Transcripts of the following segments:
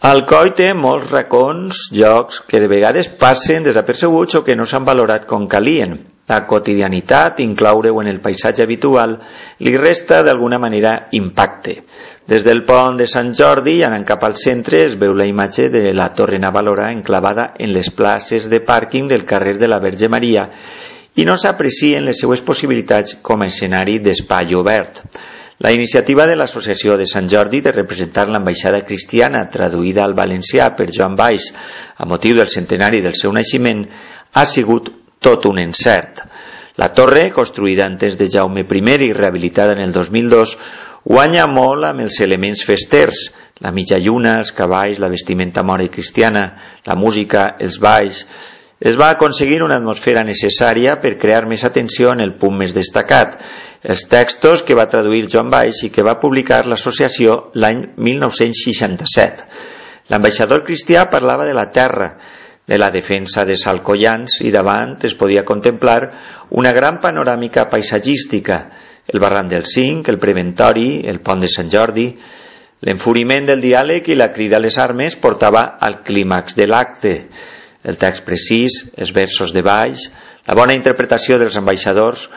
Alcoi té molts racons, llocs que de vegades passen desapercebuts o que no s'han valorat com calien. La quotidianitat, incloure-ho en el paisatge habitual, li resta d'alguna manera impacte. Des del pont de Sant Jordi, anant cap al centre, es veu la imatge de la Torre Navalora enclavada en les places de pàrquing del carrer de la Verge Maria i no s'aprecien les seues possibilitats com a escenari d'espai obert. La iniciativa de l'Associació de Sant Jordi de representar l'ambaixada cristiana traduïda al valencià per Joan Valls a motiu del centenari del seu naixement ha sigut tot un encert. La torre, construïda antes de Jaume I i rehabilitada en el 2002, guanya molt amb els elements festers, la mitja lluna, els cavalls, la vestimenta mora i cristiana, la música, els balls. Es va aconseguir una atmosfera necessària per crear més atenció en el punt més destacat, els textos que va traduir Joan Valls i que va publicar l'associació l'any 1967. L'ambaixador cristià parlava de la terra, de la defensa de Salcollans i davant es podia contemplar una gran panoràmica paisatgística, el barranc del Cinc, el preventori, el pont de Sant Jordi. L'enfuriment del diàleg i la crida a les armes portava al clímax de l'acte. El text precís, els versos de Valls, la bona interpretació dels ambaixadors,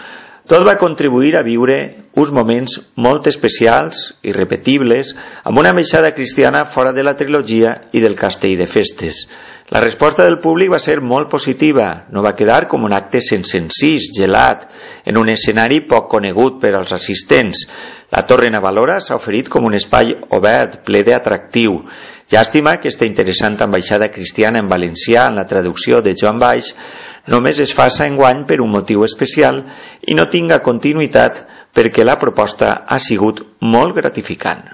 tot va contribuir a viure uns moments molt especials, irrepetibles, amb una ambaixada cristiana fora de la trilogia i del castell de festes. La resposta del públic va ser molt positiva, no va quedar com un acte sense encís, gelat, en un escenari poc conegut per als assistents. La Torre Navalora s'ha oferit com un espai obert, ple d'atractiu. Llàstima que aquesta interessant ambaixada cristiana en valencià en la traducció de Joan Valls només es faça enguany per un motiu especial i no tinga continuïtat perquè la proposta ha sigut molt gratificant.